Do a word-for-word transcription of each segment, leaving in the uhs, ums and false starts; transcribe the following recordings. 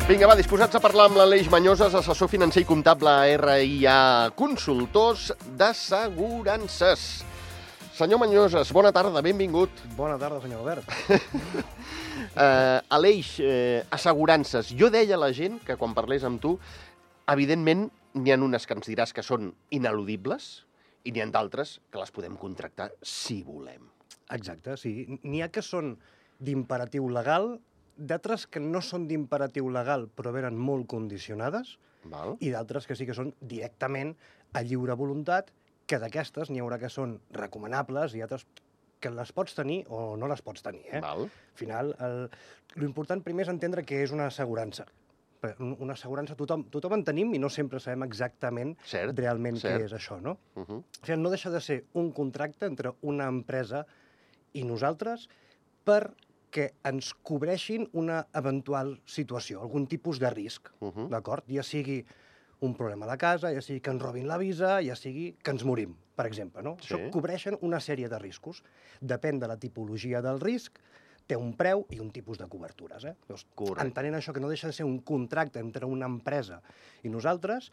Vinga, va, disposats a parlar amb l'Aleix Mañoses, assessor financer i comptable a R I A Consultors d'Assegurances. Senyor Mañoses, bona tarda, benvingut. Bona tarda, senyor Albert. uh, Aleix, uh, assegurances. Jo deia a la gent que quan parlés amb tu, evidentment n'hi ha unes que ens diràs que són ineludibles i n'hi ha d'altres que les podem contractar si volem. Exacte, sí. N'hi ha que són d'imperatiu legal, d'altres que no són d'imperatiu legal però venen molt condicionades, Val. i d'altres que sí que són directament a lliure voluntat, que d'aquestes n'hi haurà que són recomanables i altres que les pots tenir o no les pots tenir. Eh? Val. Al final, l'important primer és entendre què és una assegurança. Una assegurança tothom, tothom en tenim i no sempre sabem exactament Cert, realment cert. què és això, no? Uh -huh. O sigui, no deixa de ser un contracte entre una empresa i nosaltres perquè ens cobreixin una eventual situació, algun tipus de risc, Uh -huh. d'acord? Ja sigui un problema a la casa, ja sigui que ens robin la visa, ja sigui que ens morim, per exemple, no? Sí. Això cobreixen una sèrie de riscos. Depèn de la tipologia del risc, té un preu i un tipus de cobertures. Eh? Llavors, Correcte. entenent això, que no deixa de ser un contracte entre una empresa i nosaltres,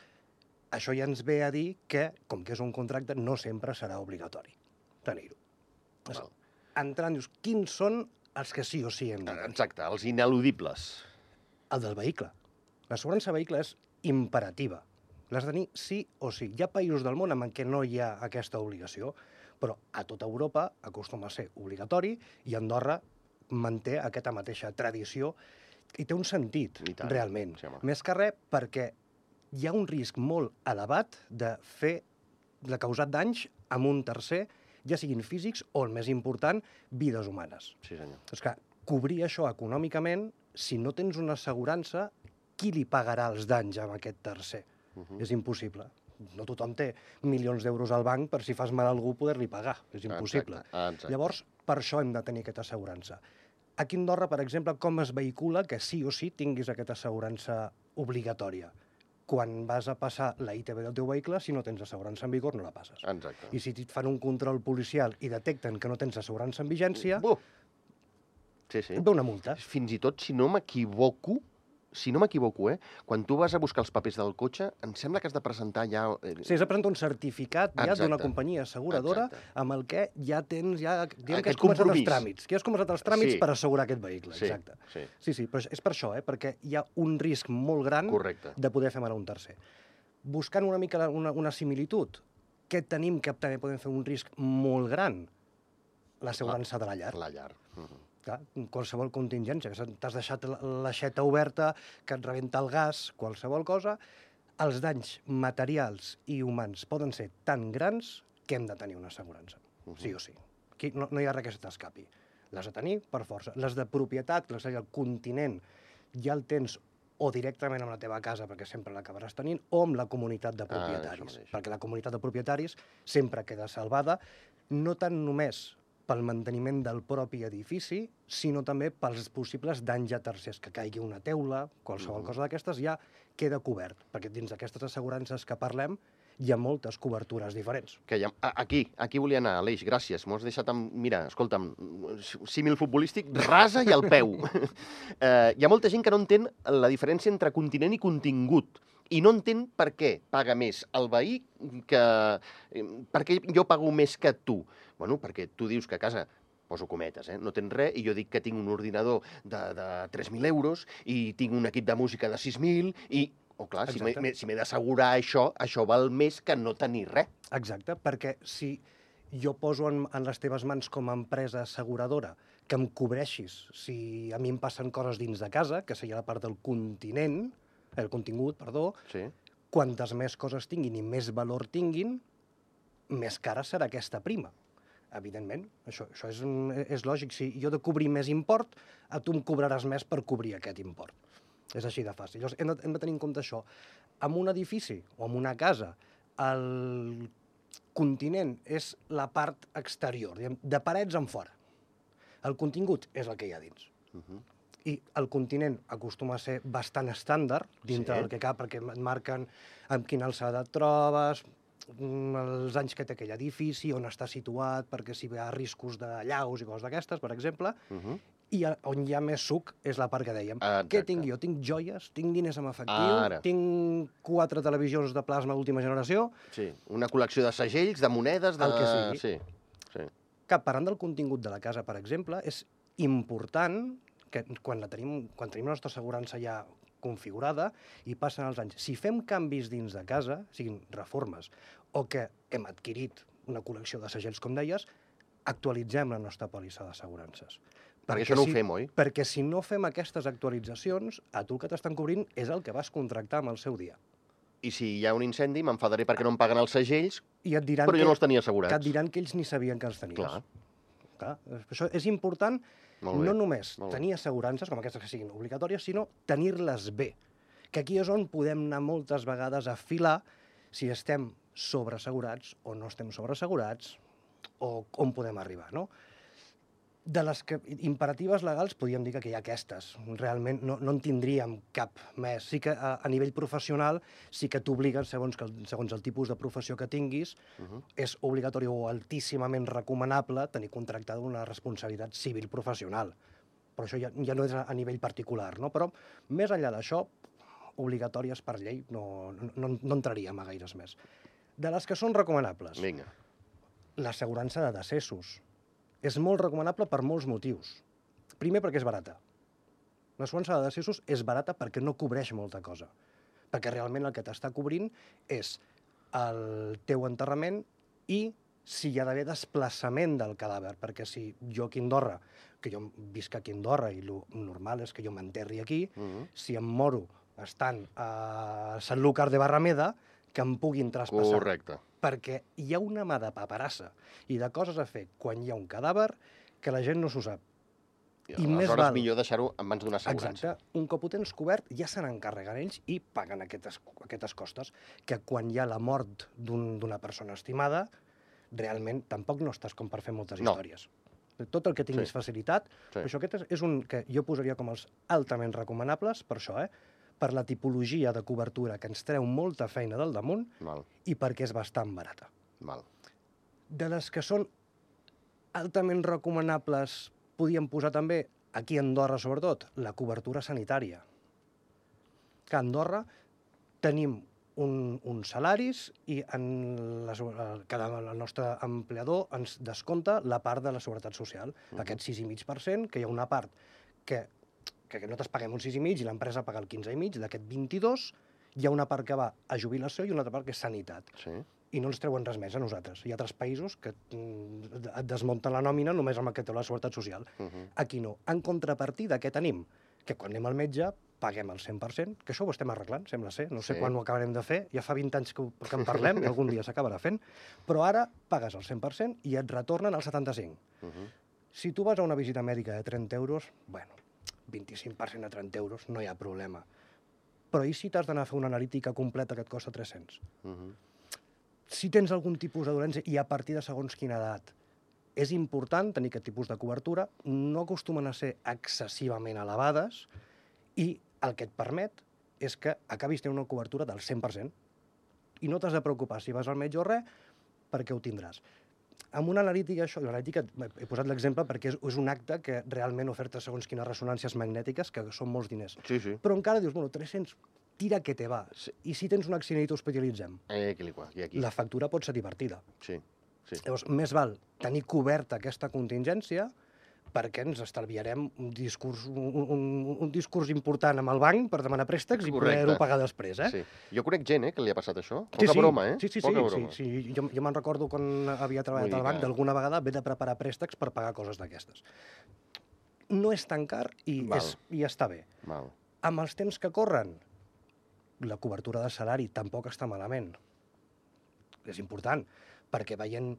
això ja ens ve a dir que, com que és un contracte, no sempre serà obligatori tenir-ho. Val. Entrant, dius, quins són els que sí o sí hem de tenir? Exacte, els ineludibles. El del vehicle. L'assegurança vehicle és imperativa. L'has de tenir sí o sí. Hi ha països del món en què no hi ha aquesta obligació, però a tota Europa acostuma a ser obligatori i Andorra manté aquesta mateixa tradició i té un sentit, I tant. realment. Sí, home. Més que res perquè hi ha un risc molt elevat de fer, de causar danys amb un tercer, ja siguin físics o, el més important, vides humanes. Sí, senyor. És que cobrir això econòmicament, si no tens una assegurança, qui li pagarà els danys a aquest tercer? Uh -huh. És impossible. No tothom té milions d'euros al banc per si fas mal a algú poder-li pagar. És impossible. Exacte, exacte. Llavors, per això hem de tenir aquesta assegurança. Aquí a Andorra, per exemple, com es vehicula que sí o sí tinguis aquesta assegurança obligatòria? Quan vas a passar la I T B del teu vehicle, si no tens assegurança en vigor, no la passes. Exacte. I si et fan un control policial i detecten que no tens assegurança en vigència, Buf. Sí, sí. et ve una multa. Fins i tot, si no m'equivoco, si no m'equivoco, eh, quan tu vas a buscar els papers del cotxe, em sembla que has de presentar ja... eh, Sí, has de presentar un certificat ja Exacte. d'una companyia asseguradora Exacte. amb el que ja tens, ja, diguem que Aquest has començat compromís. els tràmits. Que has començat els tràmits Sí. per assegurar aquest vehicle, Sí, exacte. sí. Sí, sí, però és per això, eh, perquè hi ha un risc molt gran Correcte. de poder fer mal a un tercer. Buscant una mica la- una, una similitud, què tenim que també podem fer un risc molt gran? L'assegurança de la llar. La llar. Uh -huh. Clar, qualsevol contingència, que t'has deixat la- l'aixeta oberta, que et rebenta el gas, qualsevol cosa, els danys materials i humans poden ser tan grans que hem de tenir una assegurança, Uh -huh. sí o sí. Aquí no, no hi ha res que se t'escapi. Les de tenir per força. Les de propietat, les del continent, ja el tens o directament amb la teva casa, perquè sempre l'acabaràs tenint, o amb la comunitat de això propietaris, mateix. perquè la comunitat de propietaris sempre queda salvada, no tant només pel manteniment del propi edifici, sinó també pels possibles danys a tercers, que caigui una teula, qualsevol Mhm. cosa d'aquestes, ja queda cobert, perquè dins d'aquestes assegurances que parlem hi ha moltes cobertures diferents. Que ja, a- aquí, aquí volia anar, Aleix, gràcies. M'ho has deixat amb... Mira, escolta'm, símil futbolístic, rasa i al peu. eh, hi ha molta gent que no entén la diferència entre continent i contingut. I no entén per què paga més el veí que... eh, Per què jo pago més que tu? Bueno, perquè tu dius que a casa, poso cometes, eh, no tens res, i jo dic que tinc un ordinador de, de tres mil euros i tinc un equip de música de sis mil i... Oh, clar, si m'he Exacte. m'he- si m'he d'assegurar això, això val més que no tenir res. Exacte, perquè si jo poso en, en les teves mans com a empresa asseguradora que em cobreixis si a mi em passen coses dins de casa, que seria la part del continent, el contingut, perdó, Sí. quantes més coses tinguin i més valor tinguin, més cara serà aquesta prima. Evidentment, això, això és, és lògic. Si jo he de cobrir més import, a tu em cobraràs més per cobrir aquest import. És així de fàcil. Llavors, hem de, hem de tenir en compte això. En un edifici o en una casa, el continent és la part exterior, diguem, de parets en fora. El contingut és el que hi ha dins. Uh -huh. I el continent acostuma a ser bastant estàndard dintre Sí. del que cal, perquè et marquen amb quina alçada et trobes, els anys que té aquell edifici, on està situat, perquè si hi ha riscos de llaus i coses d'aquestes, per exemple, Uh -huh. I on hi ha més suc és la part que dèiem. Ah, Què exacte. tinc jo? Tinc joies, tinc diners en efectiu, Ara. tinc quatre televisions de plasma d'última generació, Sí, una col·lecció de segells, de monedes, de... El que sigui. Sí, sí. que parlant del contingut de la casa, per exemple, és important que quan, la tenim, quan tenim la nostra assegurança ja configurada i passen els anys, si fem canvis dins de casa, siguin reformes, o que hem adquirit una col·lecció de segells, com deies, actualitzem la nostra pòlissa d'assegurances. Perquè això no ho si, fem, oi? Perquè si no fem aquestes actualitzacions, a tu el que t'estan cobrint és el que vas contractar amb el seu dia. I si hi ha un incendi, m'enfadaré perquè no em paguen els segells, I et diran però que, jo no els tenia que assegurats. et diran que ells ni sabien que els tenies. Clar. Clar, això és important, Molt bé. no només Molt bé. tenir assegurances, com aquestes que siguin obligatòries, sinó tenir-les bé. Que aquí és on podem anar moltes vegades a filar si estem sobreassegurats o no estem sobreassegurats, o on podem arribar, no? De les que, imperatives legals podríem dir que hi ha aquestes. Realment no, no en tindríem cap més. Sí que a, a nivell professional sí que t'obliguen, segons, que el, segons el tipus de professió que tinguis, Uh -huh. és obligatori o altíssimament recomanable tenir contractada una responsabilitat civil professional. Però això ja, ja no és a, a nivell particular, no? Però més enllà d'això, obligatòries per llei no, no, no entraríem a gaires més. De les que són recomanables, Vinga. l'assegurança de decessos. És molt recomanable per molts motius. Primer, perquè és barata. L'assegurança de decessos és barata perquè no cobreix molta cosa. Perquè realment el que t'està cobrint és el teu enterrament i si hi ha d'haver desplaçament del cadàver. Perquè si jo aquí a Andorra, que jo visc aquí a Andorra i el normal és que jo m'enterri aquí, Uh -huh. si em moro estant a Sanlúcar de Barrameda, que em puguin traspassar. Correcte. Perquè hi ha una mà de paperassa i de coses a fer quan hi ha un cadàver que la gent no s'ho sap. I, I més aleshores val- millor deixar-ho en mans d'una assegurança. Exacte. Un cop ho tens cobert, ja se n'encarreguen ells i paguen aquestes, aquestes costes, que quan hi ha la mort d'un- d'una persona estimada, realment tampoc no estàs com per fer moltes No. històries. Tot el que tinguis Sí. facilitat, Sí. això aquest és, és un que jo posaria com els altament recomanables, per això, eh? Per la tipologia de cobertura que ens treu molta feina del damunt Val, i perquè és bastant barata. val. De les que són altament recomanables, podíem posar també, aquí a Andorra sobretot, la cobertura sanitària. Que a Andorra tenim un, uns salaris i en les, cada, el nostre empleador ens descompta la part de la Seguretat Social, Mhm. aquest sis coma cinc per cent, que hi ha una part que, que nosaltres paguem un sis coma cinc i l'empresa paga el quinze coma cinc, d'aquest vint-i-dos, hi ha una part que va a jubilació i una altra part que és sanitat. Sí. I no ens treuen res més a nosaltres. Hi ha altres països que mm, et desmunten la nòmina només amb el que té la Seguretat Social. Uh -huh. Aquí no. En contrapartida, què tenim? Que quan anem al metge paguem el cent per cent, que això ho estem arreglant, sembla ser. No sé Sí. quan ho acabarem de fer. Ja fa vint anys que, ho- que en parlem i algun dia s'acabarà fent. Però ara pagues el cent per cent i et retornen el setanta-cinc. Uh -huh. Si tu vas a una visita mèdica de trenta euros, bueno, vint-i-cinc per cent a trenta euros, no hi ha problema. Però i si t'has d'anar a fer una analítica completa que et costa tres-cents? Uh -huh. Si tens algun tipus de dolència i a partir de segons quina edat és important tenir aquest tipus de cobertura, no acostumen a ser excessivament elevades i el que et permet és que acabis tenint una cobertura del cent per cent i no t'has de preocupar si vas al metge o res perquè ho tindràs. Amb una analítica, això, l'analítica, he posat l'exemple perquè és, és un acte que realment oferta segons quines ressonàncies magnètiques, que són molts diners. Sí, sí. Però encara dius, bueno, tres-cents, tira que te va. Sí. I si tens un accident i t'hospitalitzem? Eh, aquí, aquí, aquí. La factura pot ser divertida. Sí, sí. Llavors, més val tenir coberta aquesta contingència perquè ens estalviarem un discurs, un, un, un discurs important amb el banc per demanar préstecs i Correcte. poder-ho pagar després, eh? Sí. Jo conec gent, eh, que li ha passat això. Poca Sí, sí. broma, eh? Sí, sí, sí. Poca sí, broma. sí. Jo, jo me'n recordo quan havia treballat Vull al dir banc, que- d'alguna vegada haver de preparar préstecs per pagar coses d'aquestes. No és tan car i, Val. és, i està bé. Val. Amb els temps que corren, la cobertura de salari tampoc està malament. És important, perquè veient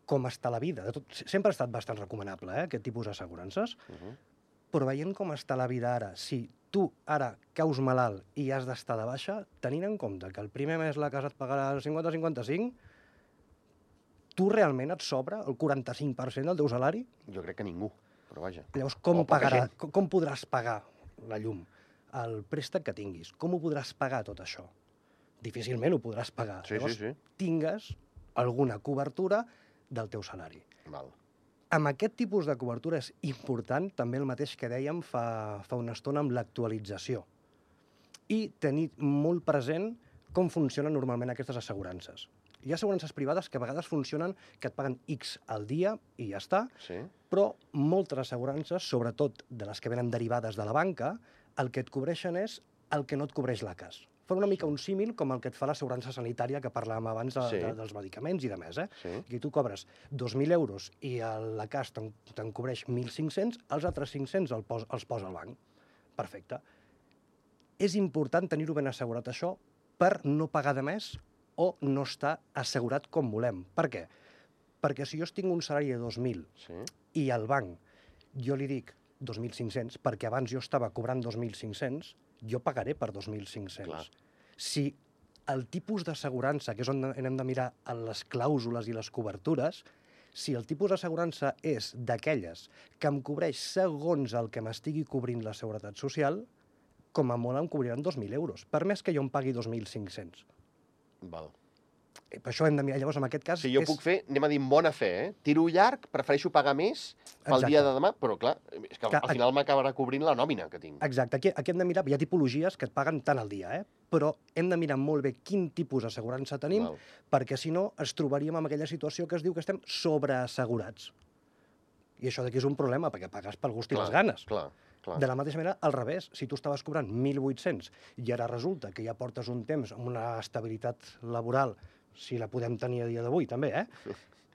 com està la vida, de tot, sempre ha estat bastant recomanable, eh, aquest tipus d'assegurances, Uh -huh. però veient com està la vida ara, si tu ara caus malalt i has d'estar de baixa, tenint en compte que el primer mes la casa et pagarà el cinquanta cinquanta-cinc, tu realment et sobra el quaranta-cinc per cent del teu salari? Jo crec que ningú, però vaja. Llavors, com, O poca pagarà, gent. com, com podràs pagar la llum? El préstec que tinguis, com ho podràs pagar tot això? Difícilment ho podràs pagar. Sí, Llavors, sí, sí. tingues alguna cobertura del teu salari. Val. Amb aquest tipus de cobertura és important també el mateix que dèiem fa, fa una estona amb l'actualització i tenir molt present com funcionen normalment aquestes assegurances. Hi ha assegurances privades que a vegades funcionen que et paguen X al dia i ja està, Sí. però moltes assegurances, sobretot de les que venen derivades de la banca, el que et cobreixen és el que no et cobreix l'A C A S. Fan una mica un símil com el que et fa l'assegurança sanitària que parlàvem abans de, Sí. de, dels medicaments i de més. Eh? Sí. Aquí tu cobres dos mil euros i l'A C A S te'n te cobreix mil cinc-cents, els altres cinc-cents el pos, els posa el banc. Perfecte. És important tenir-ho ben assegurat això per no pagar de més o no estar assegurat com volem. Per què? Perquè si jo tinc un salari de dos mil Sí. i al banc jo li dic dos mil cinc-cents, perquè abans jo estava cobrant dos mil cinc-cents, jo pagaré per dos mil cinc-cents. Clar. Si el tipus d'assegurança, que és on hem de mirar en les clàusules i les cobertures, si el tipus d'assegurança és d'aquelles que em cobreix segons el que m'estigui cobrint la Seguretat Social, com a molt em cobriran dos mil euros, per més que jo em pagui dos mil cinc-cents. Val. Eh, Per això hem de mirar. Llavors, en aquest cas... Si jo és... puc fer, anem a dir, en bona fe, eh? Tiro llarg, prefereixo pagar més pel Exacte. dia de demà, però clar, és que al, Que- al final m'acabarà cobrint la nòmina que tinc. Exacte, aquí, aquí hem de mirar, hi ha tipologies que et paguen tant al dia, eh? Però hem de mirar molt bé quin tipus d'assegurança tenim, Val. perquè si no ens trobaríem en aquella situació que es diu que estem sobreassegurats. I això d'aquí és un problema, perquè pagues pel gust i les ganes. Clar, clar. De la mateixa manera, al revés, si tu estaves cobrant mil vuit-cents i ara resulta que ja portes un temps amb una estabilitat laboral, si la podem tenir a dia d'avui també, eh?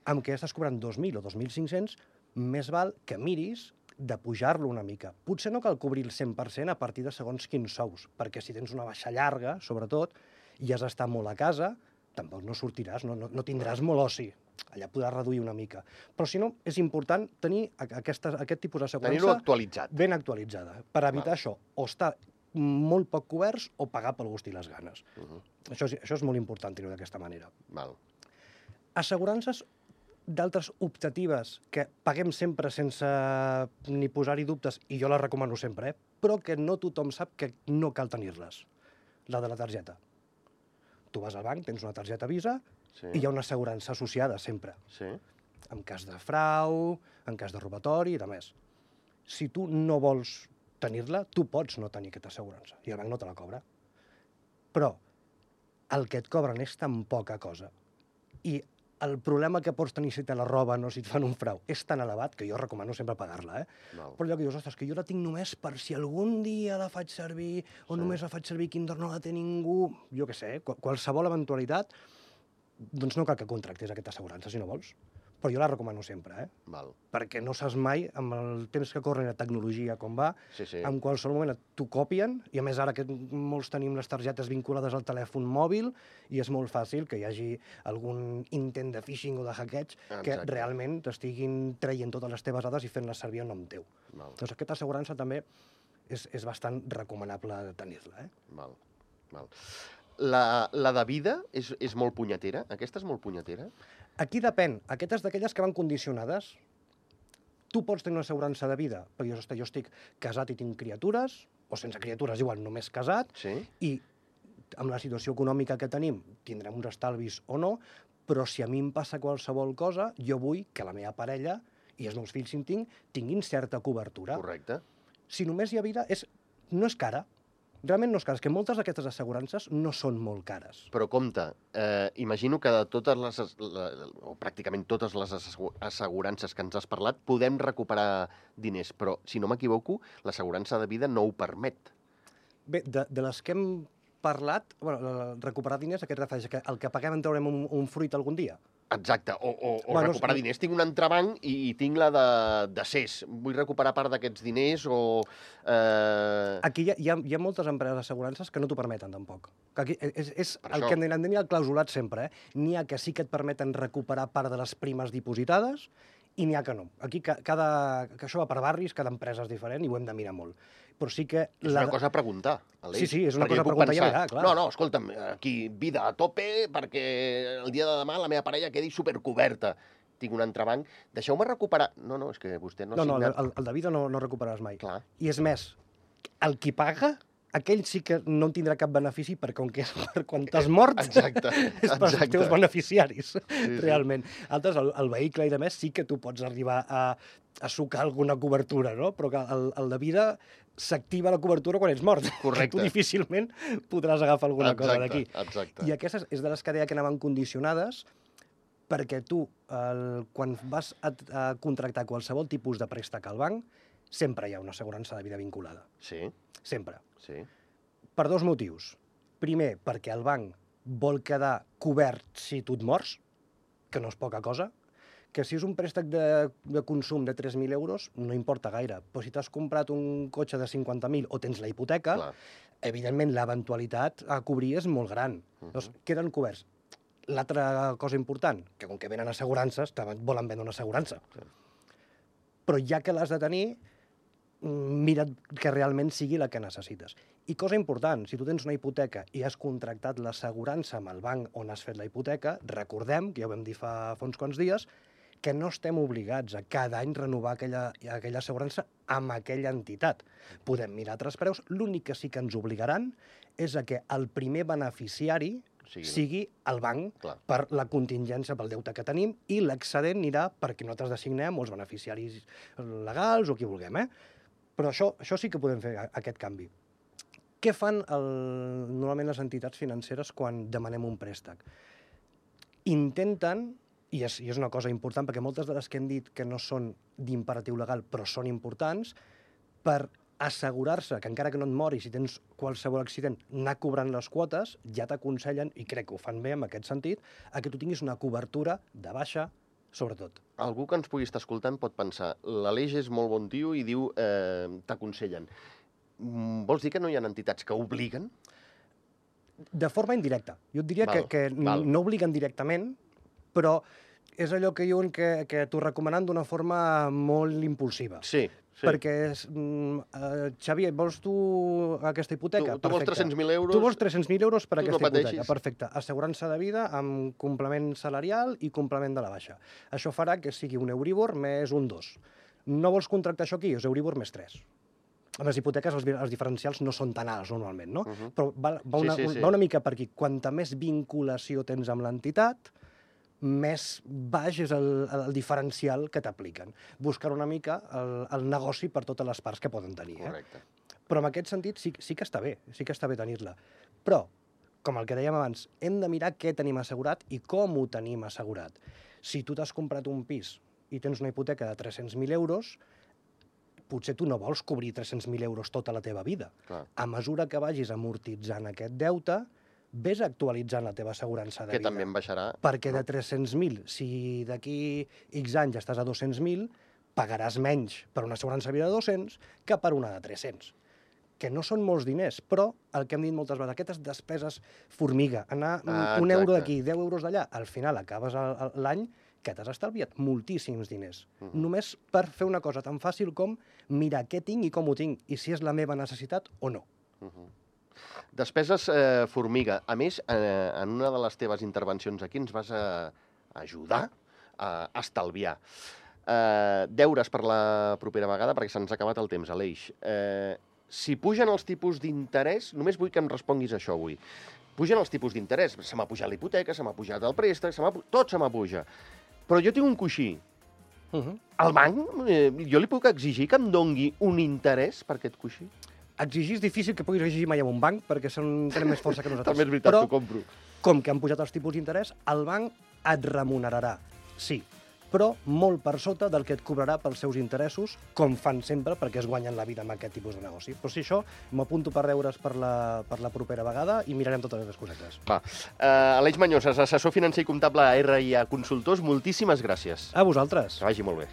amb què estàs cobrant dos mil o dos mil cinc-cents, més val que miris de pujar-lo una mica. Potser no cal cobrir el cent per cent a partir de segons quins sous, perquè si tens una baixa llarga, sobretot, i has d'estar molt a casa, tampoc no sortiràs, no, no, no tindràs molt oci. Allà podràs reduir una mica. Però si no, és important tenir aquesta, aquest tipus Tenir-ho d'assegurança actualitzat. ben actualitzada, per evitar Val. això, o estar molt poc coberts o pagar pel gust i les ganes. Uh -huh. Això, és, això és molt important tenir-ho d'aquesta manera. Val. Assegurances d'altres optatives que paguem sempre sense ni posar-hi dubtes, i jo les recomano sempre, eh? Però que no tothom sap que no cal tenir-les. La de la targeta. Tu vas al banc, tens una targeta Visa, Sí. i hi ha una assegurança associada sempre, Sí. en cas de frau, en cas de robatori i de més. Si tu no vols tenir-la, tu pots no tenir aquesta assegurança i el banc no te la cobra. Però el que et cobren és tan poca cosa i el problema que pots tenir si te la roben o si et fan un frau és tan elevat que jo recomano sempre pagar-la, eh? Val. Però allò que dius, ostres, que jo la tinc només per si algun dia la faig servir o Sí. només la faig servir Kinder no la té ningú, jo què sé, qual- qualsevol eventualitat, doncs no cal que contractis aquesta assegurança si no vols. Però jo la recomano sempre, eh? Val. Perquè no saps mai, amb el temps que corre la tecnologia com va, Sí, sí. en qualsevol moment t'ho copien, i a més ara que molts tenim les targetes vinculades al telèfon mòbil, i és molt fàcil que hi hagi algun intent de phishing o de hackeig que Exacte. realment t'estiguin traient totes les teves dades i fent-les servir en nom teu. Val. Doncs aquesta assegurança també és, és bastant recomanable tenir-la, eh? Val. Val. La, la de vida és, és molt punyetera? Aquesta és molt punyetera? Aquí depèn. Aquestes d'aquelles que van condicionades. Tu pots tenir una assegurança de vida, perquè jo, hosti, jo estic casat i tinc criatures, o sense criatures, igual, només casat, Sí. i amb la situació econòmica que tenim tindrem uns estalvis o no, però si a mi em passa qualsevol cosa, jo vull que la meva parella i els meus fills, si en tinc, tinguin certa cobertura. Correcte. Si només hi ha vida, és, no és cara. Realment no és cara. És que moltes d'aquestes assegurances no són molt cares. Però compte, eh, imagino que de totes les, as- la, o pràcticament totes les assegu- assegurances que ens has parlat, podem recuperar diners, però, si no m'equivoco, l'assegurança de vida no ho permet. Bé, de, de les que hem parlat, bueno, la- recuperar diners, a què et refereix? Que el que paguem en traurem un, un fruit algun dia? Exacte, o, o, o Bueno, recuperar sí. diners. Tinc un entrebanc i, i tinc la de, de C E S. Vull recuperar part d'aquests diners o... Eh... Aquí hi ha, hi ha, hi ha moltes empreses d'assegurances que no t'ho permeten, tampoc. Que aquí és és Per el això. que hem d'anar el clausulat sempre, eh? N'hi ha que sí que et permeten recuperar part de les primes dipositades i n'hi ha que no. Aquí ca, cada, que això va per barris, cada empresa és diferent i ho hem de mirar molt. Però sí que... És la una de- cosa a preguntar, Aleix. Sí, sí, és una perquè cosa jo a puc preguntar i a pensar, mirar, clar. No, no, escolta'm, aquí vida a tope perquè el dia de demà la meva parella quedi supercoberta. Tinc un entrebanc, deixeu-me recuperar... No, no, és que vostè no ha No, no, el, signat... el, el de vida no, no recuperaràs mai. Clar. I és més, el qui paga aquell sí que no en tindrà cap benefici perquè com que és per quan t'has mort, Exacte, és per als teus beneficiaris, sí. realment. Altres, el, el vehicle i de més sí que tu pots arribar a, a sucar alguna cobertura, no? Però que el, el de vida s'activa la cobertura quan ets mort. Correcte. Tu difícilment podràs agafar alguna Exacte, cosa d'aquí. exacte. I aquestes és de les que deia que anaven condicionades perquè tu, el, quan vas a, a contractar qualsevol tipus de préstec al banc, sempre hi ha una assegurança de vida vinculada. Sí, Sempre. sí. Per dos motius. Primer, perquè el banc vol quedar cobert si tu et mors, que no és poca cosa, que si és un préstec de, de consum de tres mil euros, no importa gaire. Però si t'has comprat un cotxe de cinquanta mil o tens la hipoteca, Clar. evidentment l'eventualitat a cobrir és molt gran. Uh -huh. Doncs queden coberts. L'altra cosa important, que com que venen assegurances, te volen vendre una assegurança. Sí. Però ja que l'has de tenir, mira't que realment sigui la que necessites. I cosa important, si tu tens una hipoteca i has contractat l'assegurança amb el banc on has fet la hipoteca, recordem, que ja ho vam dir fa, fa uns quants dies, que no estem obligats a cada any renovar aquella, aquella assegurança amb aquella entitat. Podem mirar altres preus, l'únic que sí que ens obligaran és a que el primer beneficiari Sí, sigui el banc clar. per la contingència pel deute que tenim i l'excedent anirà perquè nosaltres designem els beneficiaris legals o qui vulguem, eh? Però això, això sí que podem fer, aquest canvi. Què fan el, normalment les entitats financeres quan demanem un préstec? Intenten, i és, i és una cosa important, perquè moltes de les que hem dit que no són d'imperatiu legal, però són importants, per assegurar-se que encara que no et moris, si tens qualsevol accident, anar cobrant les quotes, ja t'aconsellen, i crec que ho fan bé en aquest sentit, a que tu tinguis una cobertura de baixa, sobretot. Algú que ens pugui estar escoltant pot pensar, l'Aleix és molt bon tio i diu eh, t'aconsellen. Vols dir que no hi ha entitats que obliguen? De forma indirecta. Jo et diria Val, que, que val. no obliguen directament, però és allò que diuen que, que t'ho recomanen d'una forma molt impulsiva. Sí, sí. Perquè, mm, uh, Xavier, vols tu aquesta hipoteca? Tu, tu vols tres-cents mil euros? Tu vols tres-cents mil euros per Tu aquesta no hipoteca. pateixis. Perfecte. Assegurança de vida amb complement salarial i complement de la baixa. Això farà que sigui un Euribor més un dos. No vols contractar això aquí? És Euribor més tres. Amb les hipoteques els, els diferencials no són tan alts normalment, no? Uh -huh. Però va, va, una, Sí, sí, sí. va una mica per aquí. Quanta més vinculació tens amb l'entitat, més baix és el, el diferencial que t'apliquen. Buscar una mica el, el negoci per totes les parts que poden tenir. Eh? Correcte. Però en aquest sentit sí, sí que està bé, sí que està bé tenir-la. Però, com el que dèiem abans, hem de mirar què tenim assegurat i com ho tenim assegurat. Si tu t'has comprat un pis i tens una hipoteca de tres-cents mil euros, potser tu no vols cobrir tres-cents mil euros tota la teva vida. Clar. A mesura que vagis amortitzant aquest deute, vés actualitzant la teva assegurança de Que vida. també en baixarà. Perquè de tres-cents mil, si d'aquí X anys estàs a dos-cents mil, pagaràs menys per una assegurança de vida de dos-cents que per una de tres-cents. Que no són molts diners, però el que hem dit moltes vegades, aquestes despeses formiga, anar Ah, un euro exacte. d'aquí, deu euros d'allà, al final acabes el- el- l'any que t'has estalviat moltíssims diners. Mhm. Només per fer una cosa tan fàcil com mirar què tinc i com ho tinc, i si és la meva necessitat o no. Uh -huh. Despeses eh, formiga. A més, eh, en una de les teves intervencions aquí ens vas a ajudar a estalviar. Eh, deures per la propera vegada, perquè se'ns ha acabat el temps, Aleix. Eh, si pugen els tipus d'interès, només vull que em responguis això avui. Pugen els tipus d'interès. Se m'ha pujat la hipoteca, se m'ha pujat el préstec, se m'ha pu- tot se m'apuja. Però jo tinc un coixí. Uh -huh. El banc, eh, jo li puc exigir que em dongui un interès per aquest coixí? Exigir és difícil que puguis exigir mai a un banc, perquè són, tenen més força que nosaltres. També és veritat, Però, t'ho compro. com que han pujat els tipus d'interès, el banc et remunerarà, sí, però molt per sota del que et cobrarà pels seus interessos, com fan sempre, perquè es guanyen la vida amb aquest tipus de negoci. Però si això, m'apunto per deures per la, per la propera vegada i mirarem totes les cosetes. Va. Uh, Aleix Mañoses, assessor financer i comptable a R i A Consultors, moltíssimes gràcies. A vosaltres. Que vagi molt bé.